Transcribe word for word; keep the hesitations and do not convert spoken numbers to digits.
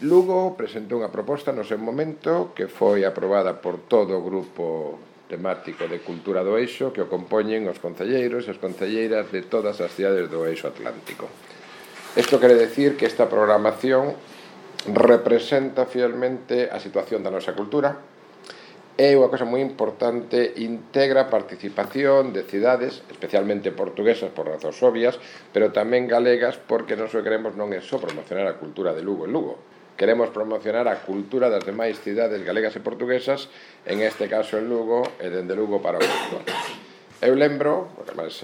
Lugo presentou unha proposta no seu momento que foi aprobada por todo o grupo temático de Cultura do Eixo que o compoñen os concelleiros e as concelleiras de todas as cidades do Eixo Atlántico. Isto quere decir que esta programación representa fielmente a situación da nosa cultura. É unha cosa moi importante, integra a participación de cidades, especialmente portuguesas por razóns obvias, pero tamén galegas, porque nós o que queremos non é só promocionar a cultura de Lugo en Lugo. Queremos promocionar a cultura das demais cidades galegas e portuguesas, en este caso en Lugo, e dende Lugo para o mundo. Eu lembro, porque además,